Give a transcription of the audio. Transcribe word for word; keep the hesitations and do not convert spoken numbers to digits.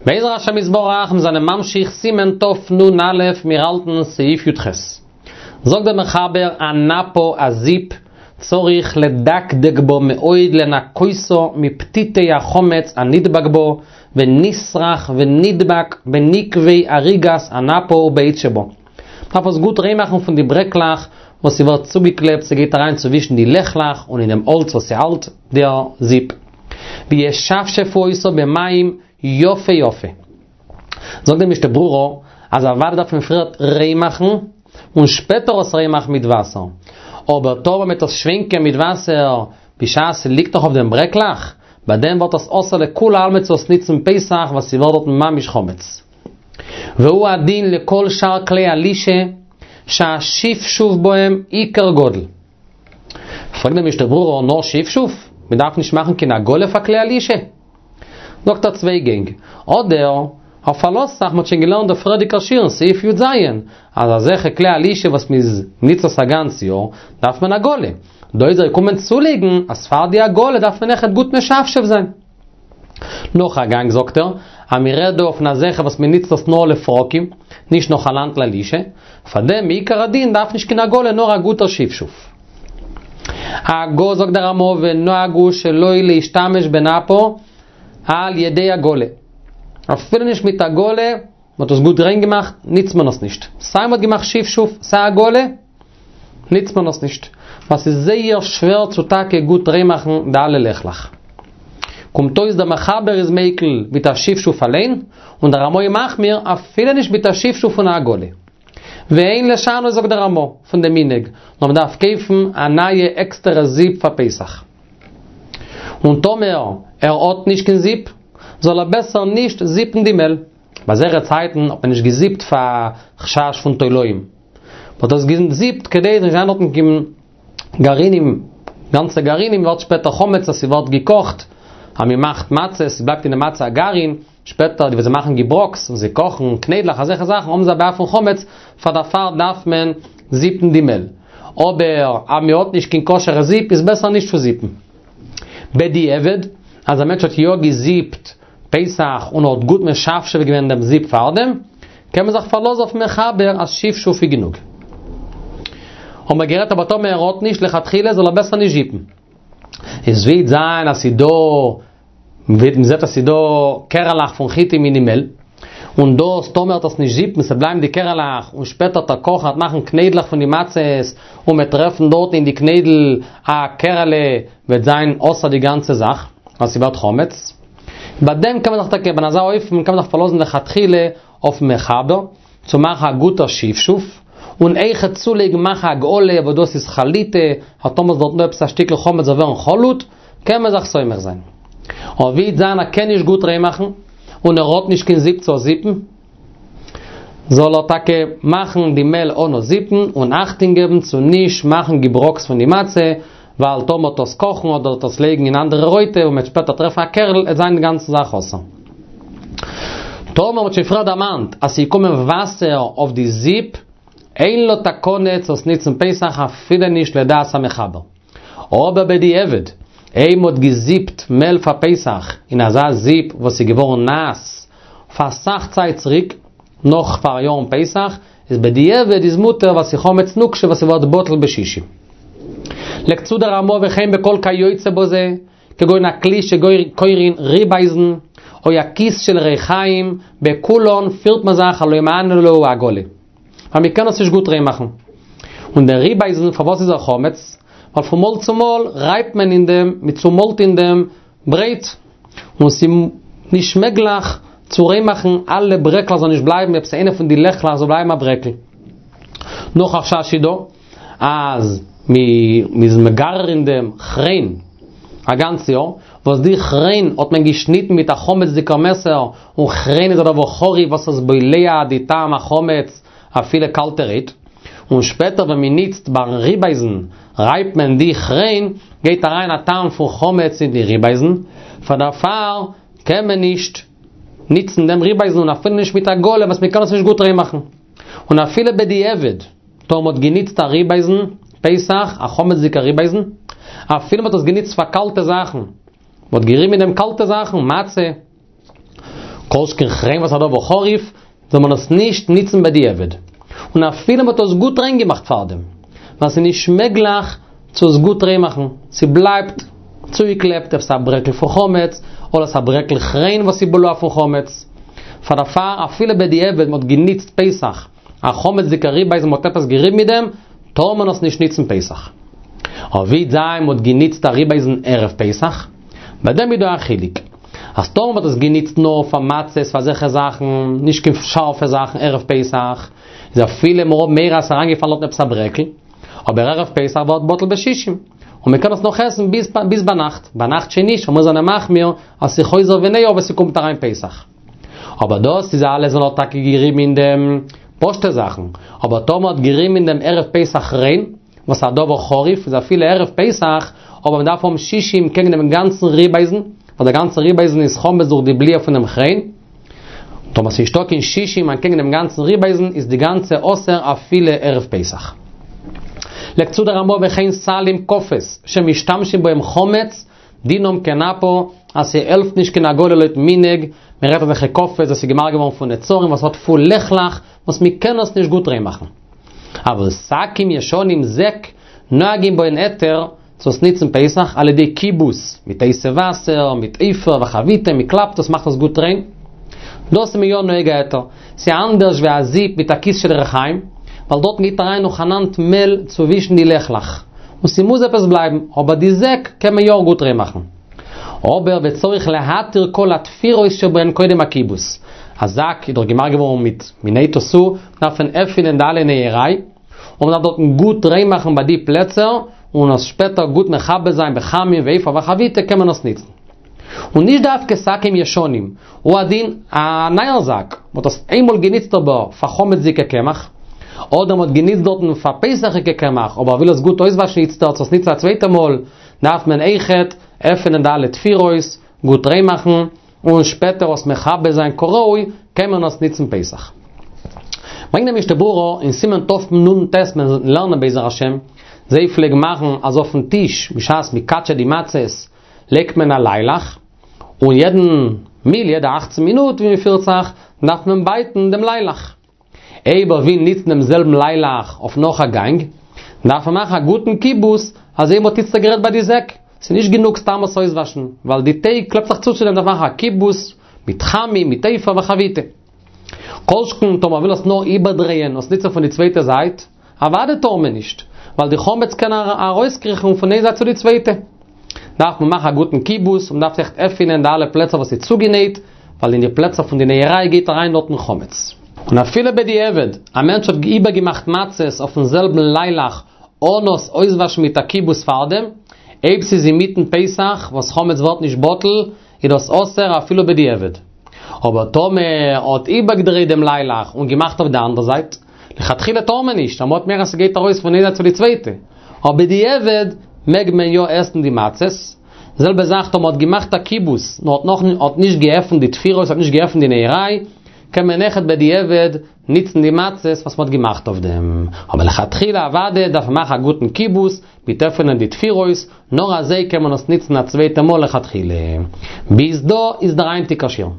בעזר השם יתברך, מיר זענען ממשיך סימן תנ"א, מיר האלטן סעיף י"ח. זאגט דער מחבר, הנפה, א זיפ, צריך לדקדק בו מאוד לנקותו מפתיתי החמץ הנדבק בו, ונשרך ונדבק בנקבי אריגת הנפה ובעץ שבו. מ'דארף עס גוט ריין מאכן פון די ברעקלעך וואס ס'ווערט צוגעקלעבט, ס'גייט אריין צווישן די לעכלעך און אין דעם האלץ וואס ס'האלט דער זיפ. וישפשפו אותו במים יפה יפה. זאגט די משנה ברורה אז אוודאי דארף מען פריערט ריין מאכן און שפעטער עס ריין מאכן מיט וואסער. אבער טאמער מ'וועט עס שווענקען מיט וואסער בשעת ס'ליגט נאך אויף דעם ברעקלעך, ביי דעם ווערט עס אסור לכולי עלמא צו עס ניצן פסח ווייל ס'ווערט דארטן ממש חמץ. והוא הדין לכל שאר כלי הלישה שהשפשוף בהם עיקר גדול. פרעגט די משנה ברורה, נאר שפשוף? מען דארף נישט מאכן קיין הגעלה פאר כלי הלישה? זאגט ער צוויי גענג. אדער, ער פארלאזט זיך, מען האט שוין געלערנט די פריערדיגע שיעור אין סעיף י"ז, אז אזעלכע כלי הלישה וואס מען ניצט עס א גאנץ יאר, דארף מען הגעלה. דא איז ער געקומען צולייגן אז פאר די הגעלה דארף מען אויכעט גוט משפשף זיין. נאך א גאנג זאגט ער, אז מען רעדט דא פון אזעלכע וואס מען ניצט עס נאר לפרקים, נישט נאכאנאנד ללישה, פאר דעם מעיקר הדין דארף נישט קיין הגעלה נאר א גוטער שפשוף. הגה זאגט דער רמ"א ונהגו שלא להשתמש בנפה על ידי הגעלה. אפילו נישט מיט הגעלה, מען האט עס גוט ריין געמאכט, ניצט מען עס נישט. סיי מען האט געמאכט שפשוף, סיי הגעלה, ניצט מען עס נישט. ווייל ס'איז זייער שווער צו טאקע גוט ריין מאכן די אלע לעכלעך. קומט אויס דער מחבר איז מיקל מיט א שפשוף אליין, און דער רמ"א איז מחמיר אפילו נישט מיט א שפשוף און א הגעלה. ואין לשנות זאגט דער רמ"א פון דעם מנהג, נאר מען דארף קויפן א נייע עקסטערע זיפ פאר פסח. און טאמער ער האט נישט קיין זיפ, זאל ער בעסער נישט זיפן די מעל. ביי זייערע צייטן האט מען נישט געזיפט פאר חשש פון תולעים. מען האט עס געזיפט כדי עס זאל נישט זיין דארטן קיין גרעינים, גאנצע גרעינים ווערט שפעטער חמץ אז ס'ווערט געקאכט, אז מען מאכט מצות, ס'בלייבט אין די מצה א גרעין, שפעטער די וואס זיי מאכן געבראקס און זיי קאכן קניידלעך אזעלכע זאכן האבן זיי א בעיה פון חמץ, פאר דערפאר דארף מען זיפן די מעל. אבער אז מען האט נישט קיין כשר'ע זיפ איז בעסער נישט צו זיפן. בדיעבד, אז א מענטש האט יא געזיפט פסח און האט גוט משפשף געווען דעם זיפ פארדעם, קען מען זיך פארלאזן אויפן מחבר אז שפשוף איז גענוג. האבן מיר גערעדט אבער טאמער ער האט נישט לכתחילה זאל ער בעסער נישט זיפן. עס וועט זיין אז ס'איז דא, מען זעט אז ס'איז דא קערעלעך פון חיטים אין די מעל, און דאס טאמער וועט עס נישט זיפן ס'בלייבן די קערעלעך און שפעטער וועט ער קאכן וועט מאכן קניידלעך פון די מצות און מ'וועט טרעפן דארטן אין די קניידל א קערעלע וועט זיין אסור די גאנצע זאך ווייל ס'ווערט חמץ. ביי דעם קען מען זיך טאקע ביי אזא אופן קען מען זיך פארלאזן לכתחילה אויפן מחבר צו מאכן א גוטער שפשוף, און אויכעט צולייגן מאכן הגעלה וואס דאס איז חליטה, אז טאמער איז דארט נאר עפעס א שטיקל חמץ זאל ווערן חלוט, קען מען זיך סומך זיין. אבער ווי וועט זיין ער קען נישט גוט ריין מאכן, און ער האט נישט קיין זיפ צו זיפן, זאל ער טאקע מאכן די מעל אנע זיפן, און אכטונג געבן צו נישט מאכן געבראקס פון די מצה, ווייל טאמער מ'וועט עס קאכן אדער וועט עס לייגן אין אנדערע רויטע און מ'וועט שפעטער טרעפן א קערל, עט זיין די גאנצע זאך אסור. טאמער מ'האט שוין פריער דערמאנט אז ס'איז געקומען וואסער אויף די זיפ, אין לו תקנה צו עס ניצן פסח אפילו נישט לדעת המחבר. אבער בדיעבד, אויב מ'האט געזיפט מעל פאר פסח אין אזא זיפ וואס איז געווארן נאס פאר אסאך צייט צוריק, נאך פאר יארן פסח, איז בדיעבד איז מותר ווייל ס'איז חמץ נוקשה וואס ס'ווערט בטל בשישים. לייגט צו דער רמ"א וכן בכל כיוצא בזה, כגון הכלי שקורין ריבאייזן, או הכיס של ריחיים, בכולן פירט מען זיך אז לא מהני להו הגעלה. ווייל מ'קען עס נישט גוט ריין מאכן. און דער ריבאייזן פארוואס איז ער חמץ? ווייל פון מאל צו מאל רייבט מען אין דעם, מ'צומאלט אין דעם ברויט, און ס'איז נישט מעגליך צו ריין מאכן אלע ברעקלעך זאל נישט בלייבן עפעס איינע פון די לעכלעך זאל בלייבן א ברעקל. נאך א חשש איז דא אז מ'איז מגרר אין דעם כריין א גאנץ יאר, וואס די כריין האט מען געשניטן מיט א חמצ'דיגער מעסער, און כריין איז א דבר חריף וואס איז בולע די טעם החמץ אפילו קאלטערהייט, און שפעטער ווען מען ניצט ביים ריבאייזן רייבט מען די כריין, גייט אריין א טעם פון חמץ אין די ריבאייזן, פאר דערפאר קען מען נישט ניצן דעם ריבאייזן און אפילו נישט מיט הגעלה וואס מען קען עס נישט גוט ריין מאכן. און אפילו בדיעבד, טאמער מען האט געניצט א ריבאייזן פסח, א חמצ'דיגע ריבאייזן, אפילו מען האט עס געניצט פאר קאלטע זאכן, מען האט געריבן אין דעם קאלטע זאכן, מצה, כל שכן כריין וואס א דבר חריף, זאל מען עס נישט ניצן בדיעבד. און אפילו מ'האט עס גוט ריין געמאכט פארדעם. ווייל ס'איז נישט מעגליך צו עס גוט ריין מאכן. ס'בלייבט צוגעקלעפט עפעס א ברעקל פון חמץ, אדער עפעס א ברעקל כריין וואס איז בלוע פון חמץ. פאר דערפאר אפילו בדיעבד מ'האט געניצט פסח א חמצ'דיגע ריבאייזן מ'האט עפעס געריבן מיט דעם, טאר מען עס נישט ניצן פסח. אבער ווי זיין מ'האט געניצט א ריבאייזן ערב פסח, ביי דעם איז דא א חילוק. אז טאמער מ'האט עס געניצט נאר פאר מצות, פאר אזעלכע זאכן, נישט קיין שארפע זאכן ערב פסח, איז אפילו מ'האט מורא אז ס'איז אריינגעפאלן דארטן עפעס א ברעקל, אבער ערב פסח ווערט בטל בשישים, און מ'קען עס נאך עסן ביז ביז ביינאכט, ביינאכט שוין נישט, ווייל מיר זענען מחמיר אז ס'איז חוזר וניעור ווען ס'קומט אריין פסח. אבער דאס איז אלעס ווען מ'האט טאקע געריבן אין דעם פשוטע זאכן, אבער טאמער מ'האט געריבן אין דעם ערב פסח כריין, וואס א דבר חריף, איז אפילו ערב פסח, אבער מען דארף האבן שישים קעגן דעם גאנצן ריבאייזן, ווייל דער גאנצער ריבאייזן איז חמץ דורך די בליעה פון דעם כריין. טאמער ס'איז נישטא קיין שישים אנטקעגן דעם גאנצן ריבאייזן, איז די גאנצע אסור אפילו ערב פסח. לייגט צו דער רמא וכן סלים כפות שמשתמשים בהם חמץ, דינם כנפה, אז ס'העלפט נישט קיין הגעלה לויטן מנהג, מען רעדט אזעלכע כפות וואס איז געמאכט געווארן פון נצרים וואס האט פול לעכלעך וואס מען קען עס נישט גוט ריין מאכן. אבל שקים ישנים זעק נוהגים בהן היתר צו עס ניצן פסח על ידי כיבוס, מיט הייסע וואסער, מיט אפר וחביטה, מען קלאפט עס מאכט עס גוט ריין. דאס איז מען יא נוהג א היתר. ס'איז אנדערש ווי א זיפ מיט א כיס של רחיים, ווייל דארטן גייט אריין נאכאנאנד מעל צווישן די לעכלעך, און ס'מוז עפעס בלייבן, אבער די זעק קען מען יא גוט ריין מאכן. אבער וצריך להתיר כל התפירות שבהן קודם הכיבוס. א זאק איז דאך געמאכט געווארן מיט מ'נייט עס צו, דארף מען עפענען די אלע נייעריי, און מ'דארף דארטן גוט ריין מאכן ביי די פלעצער, און עס שפעטער גוט מכבס זיין בחמין ואפר וחביטה קען מען עס ניצן. און נישט דווקא שקים ישנים, הוא הדין א נייער זאק, מ'האט עס איינמאל געניצט אבער פאר חמצ'דיגע קמח, אדער מ'האט געניצט דארטן פאר פסח'יגע קמח, אבער וויל עס גוט אויסוואשן איצטערט צו עס ניצן א צווייטע מאל, דארף מען אויכעט עפענען די אלע תפירות, גוט ריין מאכן, און שפעטער עס מכבס זיין כראוי, קען מען עס ניצן פסח. ברענגט דער משנה ברורה אין סימן תנ"ט מיר לערנען בעזר השם, זיי פלעגן מאכן אז אויפן טיש בשעת מ'קאטשעט די מצות לייגט מען א ליילעך, און יעדן מיל יעדע אַכצן מינוט ווי מ'פירט זיך דארף מען בייטן דעם ליילעך. אויב ער וויל ניצן דעם זעלבן ליילעך אויף נאך א גאנג, דארף ער מאכן א גוטן כיבוס, אזוי ווי מ'האט איצטער גערעדט ביי די זעק, ס'איז נישט גענוג סתם עס אויסוואשן, ווייל די טייג קלעבט זיך צו צו דעם, דארף מאכן א כיבוס מיט חמין, מיט אפר וחביטה. כל שכן טאמער מ'וויל עס נאר איבערדרייען און עס ניצן פון די צווייטע זייט, אוודאי טאר מען נישט, ווייל די חמץ קען ארויסקריכן פון איין זייט צו די צווייטע. דארף מען מאכן א גוטן כיבוס, און מ'דארף עכט עפענען די אלע פלעצער וואס איז צוגענייט, ווייל אין די פלעצער פון די נייעריי גייט אריין דארטן חמץ. און אפילו בדיעבד, א מענטש האט איבערגעמאכט מצות אויפן זעלבן ליילעך אן עס אויסוואשן מיט א כיבוס פארדעם, אויב ס'איז אינמיטן פסח וואס חמץ ווערט נישט בטל, איז דאס אסור אפילו בדיעבד. אבער טאמער האט איבערגעדרייט דעם ליילעך און געמאכט אויף די אנדערע זייט, לכתחילה טאר מען נישט, ווייל מ'האט מורא אז ס'גייט ארויס פון איין זייט צו די צווייטע. אבער בדיעבד מעג מען יא עסן די מצות. די זעלבע זאך טאמער מ'האט געמאכט א כיבוס, נאר האט נאך האט נישט געעפנט די תפירות, האט נישט געעפנט די נייעריי, קען מען אויכעט בדיעבד ניצן די מצות וואס מ'האט געמאכט אויף דעם. אבער לכתחילה אוודאי דארף מען מאכן א גוטן כיבוס, מיט עפענען די תפירות, נאר אזוי קען מען עס ניצן א צווייטע מאל לכתחילה. ביז דא איז דער היינטיגער שיעור.